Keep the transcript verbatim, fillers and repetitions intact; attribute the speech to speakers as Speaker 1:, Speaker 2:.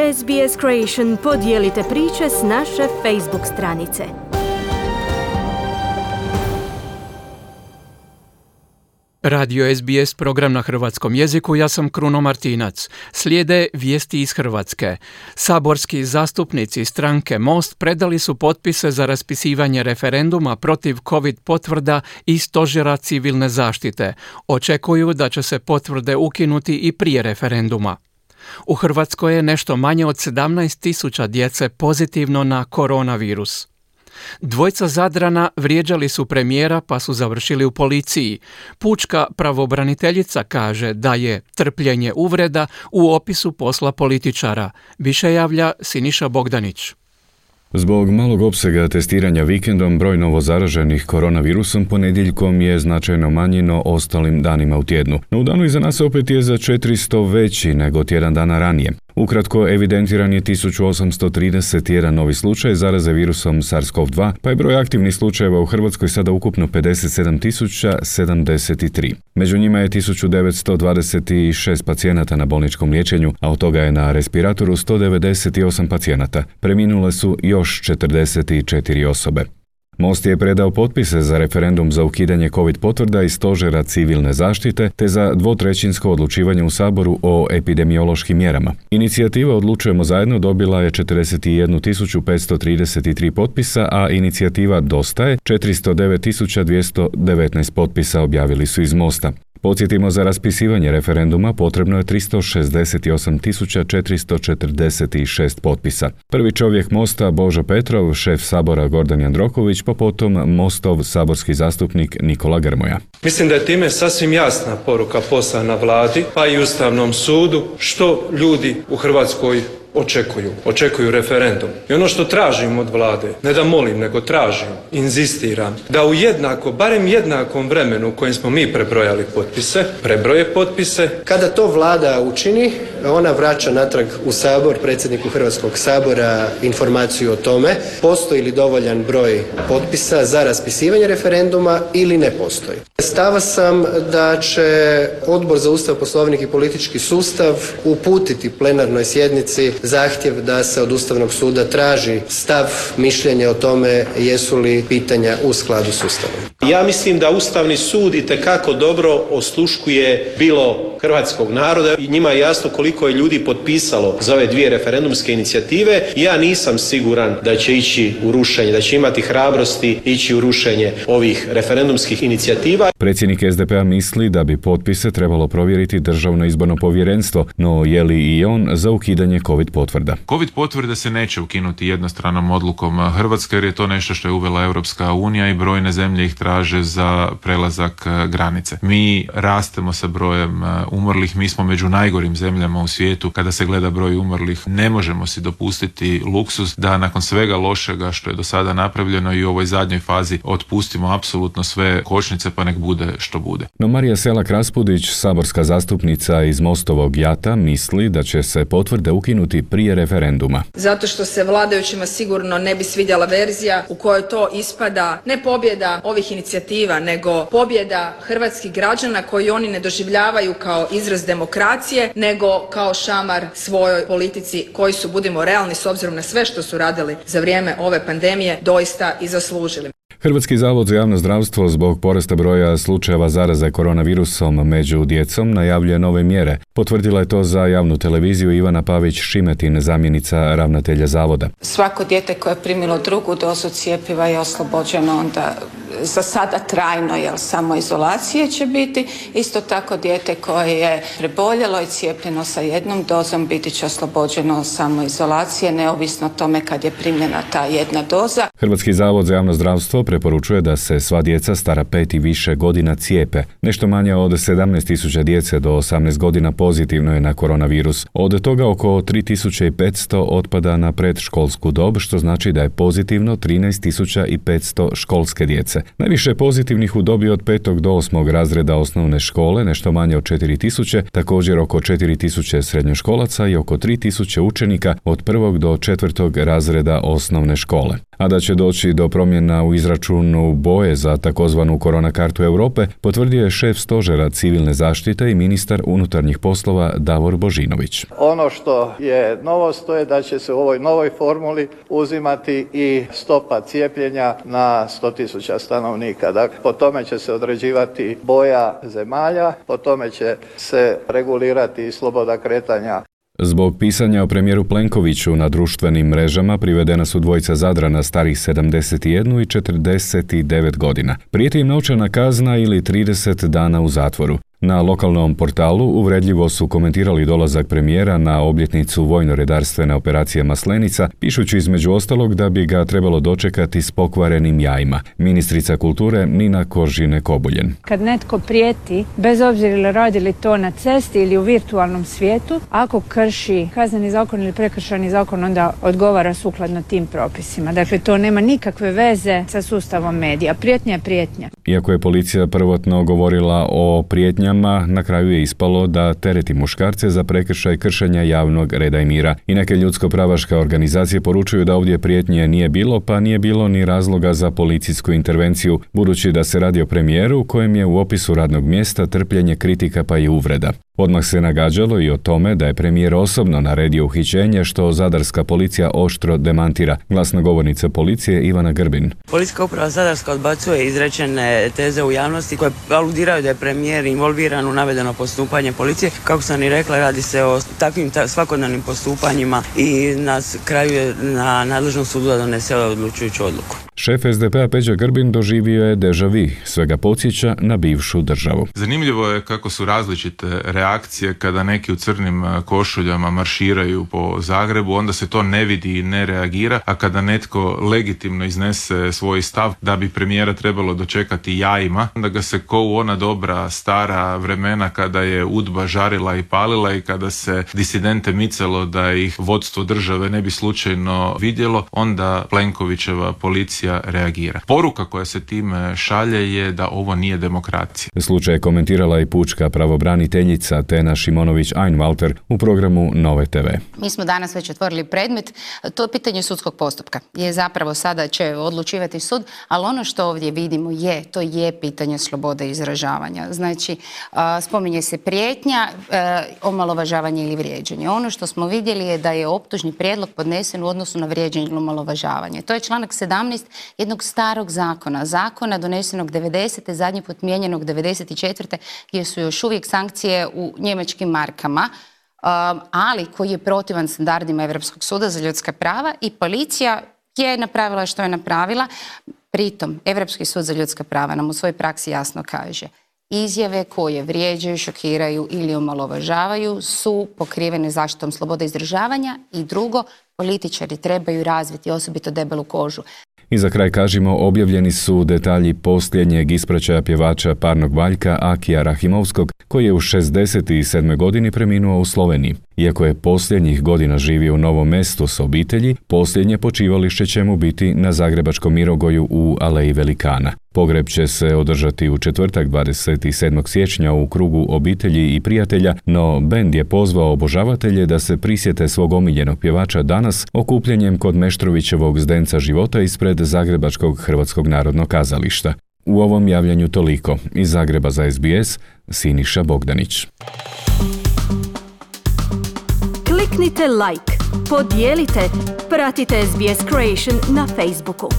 Speaker 1: S B S Creation podijelite priče s naše Facebook stranice.
Speaker 2: Radio S B S program na hrvatskom jeziku, ja sam Kruno Martinac. Slijede vijesti iz Hrvatske. Saborski zastupnici stranke Most predali su potpise za raspisivanje referenduma protiv COVID potvrda i stožera civilne zaštite. Očekuju da će se potvrde ukinuti i prije referenduma. U Hrvatskoj je nešto manje od sedamnaest tisuća djece pozitivno na koronavirus. Dvojca Zadrana vrijeđali su premijera pa su završili u policiji. Pučka pravobraniteljica kaže da je trpljenje uvreda u opisu posla političara. Više javlja Siniša Bogdanić.
Speaker 3: Zbog malog opsega testiranja vikendom, broj novozaraženih koronavirusom ponedjeljkom je značajno manji no ostalim danima u tjednu. No u danu iza nas opet je za četiristo veći nego tjedan dana ranije. Ukratko, evidentiran je tisuću osamsto trideset jedan novi slučaj zaraze virusom SARS-CoV dva, pa je broj aktivnih slučajeva u Hrvatskoj sada ukupno pedeset sedam tisuća sedamdeset tri. Među njima je tisuću devetsto dvadeset šest pacijenata na bolničkom liječenju, a od toga je na respiratoru sto devedeset osam pacijenata. Preminule su još četrdeset četiri osobe. Most je predao potpise za referendum za ukidanje COVID potvrda i stožera civilne zaštite te za dvotrećinsko odlučivanje u Saboru o epidemiološkim mjerama. Inicijativa Odlučujemo zajedno dobila je četrdeset jednu tisuću petsto trideset tri potpisa, a inicijativa Dosta je četiristo devet tisuća dvjesto devetnaest potpisa, objavili su iz Mosta. Podsjetimo, za raspisivanje referenduma potrebno je tristo šezdeset osam tisuća četiristo četrdeset šest potpisa. Prvi čovjek Mosta Božo Petrov, šef Sabora Gordan Jandroković, pa potom Mostov saborski zastupnik Nikola Grmoja.
Speaker 4: Mislim da je time sasvim jasna poruka poslana vladi, pa i Ustavnom sudu, što ljudi u Hrvatskoj očekuju. Očekuju referendum. I ono što tražim od vlade, ne da molim, nego tražim, inzistiram, da u jednako, barem jednakom vremenu u kojem smo mi prebrojali potpise, prebroje potpise.
Speaker 5: Kada to vlada učini, ona vraća natrag u Sabor, predsjedniku Hrvatskog sabora, informaciju o tome postoji li dovoljan broj potpisa za raspisivanje referenduma ili ne postoji. Stava sam da će Odbor za Ustav, Poslovnik i politički sustav uputiti plenarnoj sjednici zahtjev da se od Ustavnog suda traži stav, mišljenje o tome jesu li pitanja u skladu s Ustavom.
Speaker 6: Ja mislim da Ustavni sud itekako dobro osluškuje bilo hrvatskog naroda i njima je jasno koliko je ljudi potpisalo za ove dvije referendumske inicijative. Ja nisam siguran da će ići u rušenje, da će imati hrabrosti ići u rušenje ovih referendumskih inicijativa.
Speaker 3: Predsjednik S D P-a misli da bi potpise trebalo provjeriti Državno izborno povjerenstvo, no je li i on za ukidanje COVID potvrda?
Speaker 7: COVID potvrde se neće ukinuti jednostranom odlukom Hrvatske, jer je to nešto što je uvela Europska unija i brojne zemlje ih traže za prelazak granice. Mi rastemo sa brojem umrlih, mi smo među najgorim zemljama u svijetu kada se gleda broj umrlih. Ne možemo si dopustiti luksuz da nakon svega lošega što je do sada napravljeno i u ovoj zadnjoj fazi otpustimo apsolutno sve kočnice, pa nek bude što bude.
Speaker 3: No Marija Selak-Raspudić, saborska zastupnica iz Mostovog Jata, misli da će se potvrde ukinuti prije referenduma.
Speaker 8: Zato što se vladajućima sigurno ne bi svidjela verzija u kojoj to ispada ne pobjeda ovih inicijativa, nego pobjeda hrvatskih građana koji oni ne doživljavaju kao izraz demokracije, nego kao šamar svojoj politici koji su, budimo realni, s obzirom na sve što su radili za vrijeme ove pandemije, doista i zaslužili.
Speaker 3: Hrvatski zavod za javno zdravstvo zbog porasta broja slučajeva zaraze koronavirusom među djecom najavljuje nove mjere. Potvrdila je to za javnu televiziju Ivana Pavić-Šimetin, zamjenica ravnatelja zavoda.
Speaker 9: Svako dijete koje je primilo drugu dozu cjepiva je oslobođeno onda za sada trajno, jer samo izolacije će biti. Isto tako dijete koje je preboljelo i cijepljeno sa jednom dozom biti će oslobođeno samo izolacije, neovisno o tome kad je primljena ta jedna doza.
Speaker 3: Hrvatski zavod za javno zdravstvo preporučuje da se sva djeca stara pet i više godina cijepe. Nešto manje od sedamnaest tisuća djece do osamnaest godina pozitivno je na koronavirus. Od toga oko tri tisuće petsto otpada na predškolsku dob, što znači da je pozitivno trinaest tisuća petsto školske djece. Najviše pozitivnih u dobi od petog do osmog razreda osnovne škole, nešto manje od četiri tisuće, također oko četiri tisuće srednjoškolaca i oko tri tisuće učenika od prvog do četvrtog razreda osnovne škole. A da će doći do promjena u izračunu boje za takozvanu korona kartu Europe, potvrdio je šef stožera civilne zaštite i ministar unutarnjih poslova Davor Božinović.
Speaker 10: Ono što je novost to je da će se u ovoj novoj formuli uzimati i stopa cijepljenja na sto tisuća stanovnika. Dakle, po tome će se određivati boja zemalja, po tome će se regulirati i sloboda kretanja.
Speaker 3: Zbog pisanja o premijeru Plenkoviću na društvenim mrežama privedena su dvojica Zadrana starih sedamdeset jedan i četrdeset devet godina. Prijeti im novčana kazna ili trideset dana u zatvoru. Na lokalnom portalu uvredljivo su komentirali dolazak premijera na obljetnicu vojno-redarstvene operacije Maslenica, pišući između ostalog da bi ga trebalo dočekati s pokvarenim jajima. Ministrica kulture Nina Kožine-Kobuljen.
Speaker 11: Kad netko prijeti, bez obzira ili radili to na cesti ili u virtualnom svijetu, ako krši kazneni zakon ili prekršajni zakon, onda odgovara sukladno tim propisima. Dakle, to nema nikakve veze sa sustavom medija. Prijetnja je prijetnja.
Speaker 3: Iako je policija prvotno govorila o prijetnjama, na kraju je ispalo da tereti muškarce za prekršaj kršenja javnog reda i mira. I neke ljudsko-pravaške organizacije poručuju da ovdje prijetnje nije bilo, pa nije bilo ni razloga za policijsku intervenciju, budući da se radi o premijeru kojem je u opisu radnog mjesta trpljenje kritika pa i uvreda. Odmah se nagađalo i o tome da je premijer osobno naredio uhićenje, što zadarska policija oštro demantira. Glasnogovornica policije Ivana Grbin.
Speaker 12: Policijska uprava Zadarska odbacuje izrečene teze u javnosti koje aludiraju da je premijer involviran u navedeno postupanje policije. Kako sam i rekla, radi se o takvim ta, svakodnevnim postupanjima i na kraju je na nadležnom sudu da donese odlučujuću odluku.
Speaker 3: Šef es de pe a Peđa Grbin doživio je deja vu, svega podsjeća na bivšu državu.
Speaker 7: Zanimljivo je kako su različite reakcije kada neki u crnim košuljama marširaju po Zagrebu, onda se to ne vidi i ne reagira, a kada netko legitimno iznese svoj stav da bi premijera trebalo dočekati jajima, onda ga se ko u ona dobra stara vremena kada je udba žarila i palila i kada se disidente micalo da ih vodstvo države ne bi slučajno vidjelo, onda Plenkovićeva policija reagira. Poruka koja se time šalje je da ovo nije demokracija.
Speaker 3: Slučaj je komentirala i pučka pravobraniteljica Tena Šimonović-Einwalter u programu Nove te ve.
Speaker 13: Mi smo danas već otvorili predmet, to je pitanje sudskog postupka. Je zapravo sada će odlučivati sud, ali ono što ovdje vidimo je, to je pitanje slobode izražavanja. Znači, spominje se prijetnja, omalovažavanje ili vrijeđanje. Ono što smo vidjeli je da je optužni prijedlog podnesen u odnosu na vrijeđanje ili omalovažavanje. To je članak sedamnaest jednog starog zakona, zakona donesenog devedesete, zadnji put mijenjanog devedeset četvrte gdje su još uvijek sankcije u njemačkim markama, ali koji je protivan standardima Europskog suda za ljudska prava i policija je napravila što je napravila. Pritom, Europski sud za ljudska prava nam u svojoj praksi jasno kaže: izjave koje vrijeđaju, šokiraju ili omalovažavaju su pokrivene zaštitom slobode izražavanja i drugo, političari trebaju razviti osobito debelu kožu.
Speaker 3: I za kraj kažemo, objavljeni su detalji posljednjeg ispraćaja pjevača parnog valjka Akija Rahimovskog, koji je u šezdeset sedmoj godini preminuo u Sloveniji. Iako je posljednjih godina živio u Novom Mestu s obitelji, posljednje počivalište će mu biti na Zagrebačkom Mirogoju u Aleji Velikana. Pogreb će se održati u četvrtak dvadeset sedmog siječnja u krugu obitelji i prijatelja, no bend je pozvao obožavatelje da se prisjete svog omiljenog pjevača danas okupljenjem kod Meštrovićevog zdenca života ispred Zagrebačkog Hrvatskog narodnog kazališta. U ovom javljanju toliko. Iz Zagreba za es be es, Siniša Bogdanić.
Speaker 1: Kliknite like, podijelite, pratite es be es Creation na Facebooku.